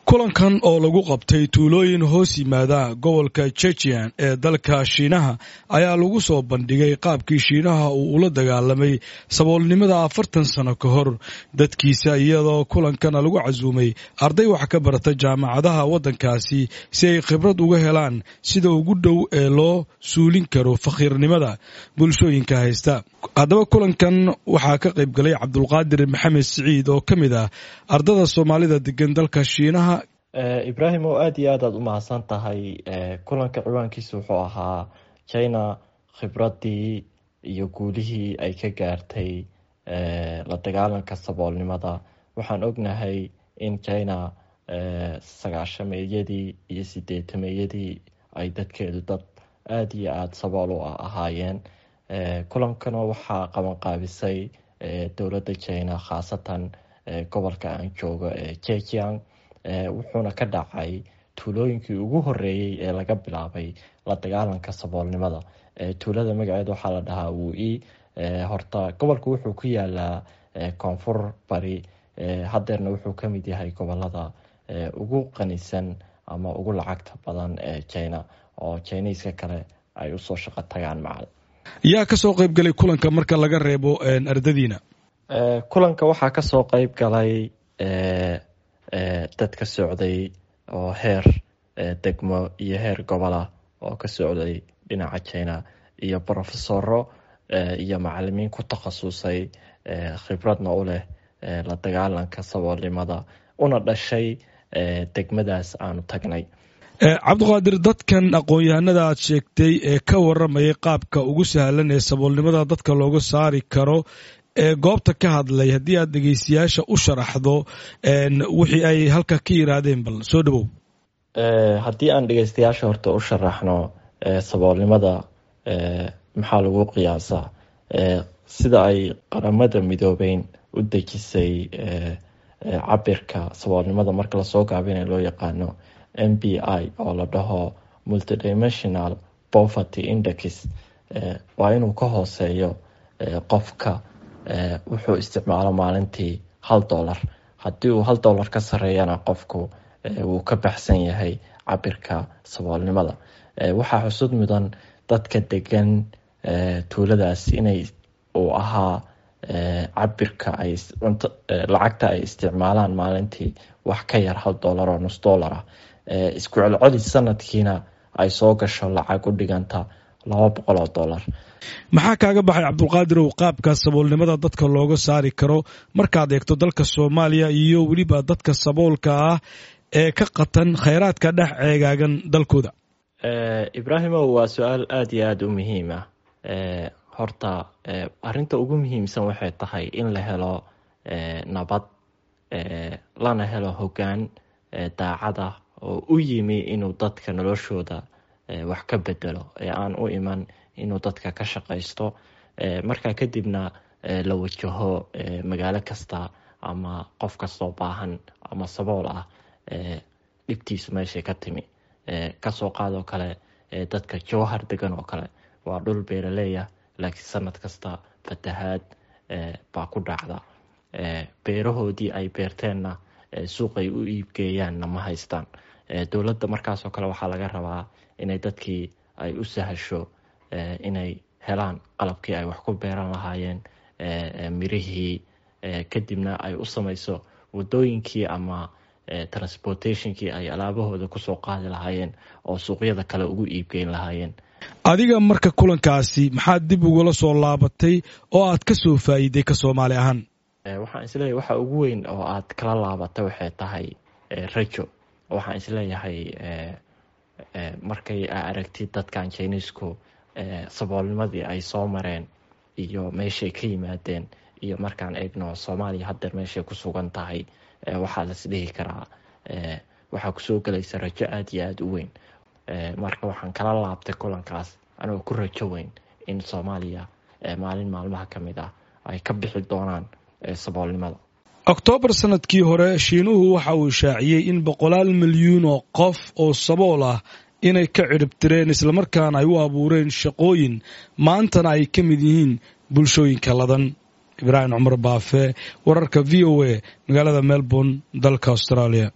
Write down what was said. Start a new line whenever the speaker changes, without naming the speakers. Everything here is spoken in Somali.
Kulankan oo lagu qabtay tuulooyin hoos yimaada gobolka Chejian ee dalka Shiinaha ayaa lagu soo bandhigay qaabkii Shiinaha uu ula dagaalamay saboolnimada 40 sano ka hor dadkiisa, iyadoo kulankana lagu casuumay arday wax ka barata jaamacadaha waddankaasi si ay khibrad uga helaan sida ugu dhow ee loo suulin karo fakhiirnimada bulshooyinka haysta. Haddaba kulankan waxaa ka qayb galay Cabdulqaadir Maxamed Siciid oo ka mid ah ardada Soomaalida degan dalka Shiinaha.
Ibraahim, oo aada iyo aad aad u mahadsan tahay. Kulanka ciwaankiisa wuxuu ahaa China khibradii iyo guulihii ay ka gaartay la dagaalanka saboolnimada. Waxaan ognahay in China 90-meeyadii iyo 80-meeyadii ay dadkeedu dad aada iyo aada sabool u ahaayeen. Kulankana waxaa qabanqaabisay dowladda China, khaasatan gobolka aan joogo ee Jejiang, wuxuuna ka dhacay tuulooyinkii ugu horeeyey ee laga bilaabay la dagaalanka saboolnimada. Tuulada magaceeda waxaa la dhahaa Wui. Horta gobolku wuxuu ku yaalaa koonfur bari, hadeerna wuxuu kamid yahay gobolada ugu qanisan ama ugu lacagta badan ee China, oo Chiniiska kale ay usoo shaqo tagaan macal.
Yaa kasoo qayb galay kulanka marka laga reebo ardadiina?
Kulanka waxaa kasoo qayb galay dad ka socday oo heer degmo iyo heer gobola oo ka socday dhinaca China, iyo brofesoro iyo macalimiin ku takhasusay, khibradna u leh la dagaalanka saboolnimada, una dhashay degmadaas aanu tagnay.
Cabdiqaadir, dadkan aqoon-yahanada aad sheegtay ee ka waramayay qaabka ugu sahlan ee saboolnimada dadka looga saari karo ee goobta ka hadlay, haddii aad dhegeystayaasha u sharaxdo wixii ay halka ka yiraahdeen, bal soo dhawow.
Haddii aan dhegeystayaasha horta u sharaxno saboolnimada maxaa lagu qiyaasaa, sida ay Qaramada Midoobeyn u dejisay cabirka saboolnimada marka lasoo gaabinay loo yaqaano MPI, oo la dhaho Multidimensional Poverty Index, waa inuu ka hooseeyo qofka wuxuu isticmaalo maalintii $1. Haddii uu $1 ka sareeyana, qofku wuu ka baxsan yahay cabirka saboolnimada. Waxaa xusud mudan dadka degan tuuladaas inay uu ahaa cabirka ay lacagta ay isticmaalaan maalintii wax ka yar $1 oo nus dollar ah, isku celcelis sanadkiina ay soo gasho lacag u dhiganta $200.
Maxaa kaaga baxay, Cabdulqaadirow, qaabka saboolnimada dadka looga saari karo markaad eegto dalka Soomaaliya iyo weliba dadka saboolka ah ee ka qatan khayraadka dhex ceegaagan dalkooda?
Ibraahimow, waa su-aal aada iyo aada u muhiim ah. Horta arinta ugu muhiimsan waxay tahay in la helo nabad, lana helo hoggaan daacada oo u yimi inuu dadka noloshooda wax ka bedelo, ee aan u iman inuu dadka ka shaqaysto. Markaa kadibna la wajaho magaalo kasta ama qof kastoo baahan ama sabool ah dhibtiisu meeshay ka timi. Kasoo qaadoo kale dadka Jowhar degan oo kale waa dhul beeraleya, laakiin sanad kasta fatahaad baa ku dhacda, beerahoodii ay beerteenna suuqay u iibgeeyaanna ma haystaan. Dowladda markaasoo kale waxaa laga rabaa inay dadkii ay u sahasho inay helaan qalabkii ay wax ku beeran lahaayeen, mirihii, kadibna ay u samayso wadooyinkii ama transportationkii ay alaabahooda kusoo qaadi lahaayeen oo suuqyada kale ugu iibgeyn lahaayeen.
Adiga marka kulankaasi maxaad dib ugula soo laabatay oo aad ka soo faa'iiday ka Soomaali ahaan?
Waxaan isleeyahay waxa ugu weyn oo aad kala laabatay waxay tahay rajo. Waxaan isleeyahay markay aragtid dadkan Chinisku saboolnimadii ay soo mareen iyo meeshay ka yimaadeen, iyo markaan eegno Soomaaliya haddeer meeshay ku sugan tahay, waxaa las dhihi karaa waxaa kusoo gelaysa rajo aada iyo aada u weyn. Marka waxaan kala laabtay kulankaas anigoo ku rajo weyn in Soomaaliya maalin maalmaha ka mid ah ay ka bixi doonaan saboolnimada.
Oktoobar sanadkii hore Shiinuhu waxa uu shaaciyey in boqolaal milyuun oo qof oo sabool ah inay ka cidhibtireen, islamarkaana ay u abuureen shaqooyin, maantana ay ka mid yihiin bulshooyinka ladan. Ibraahim Cumar Baafe, wararka VOA, magaalada Melbourne, dalka Australia.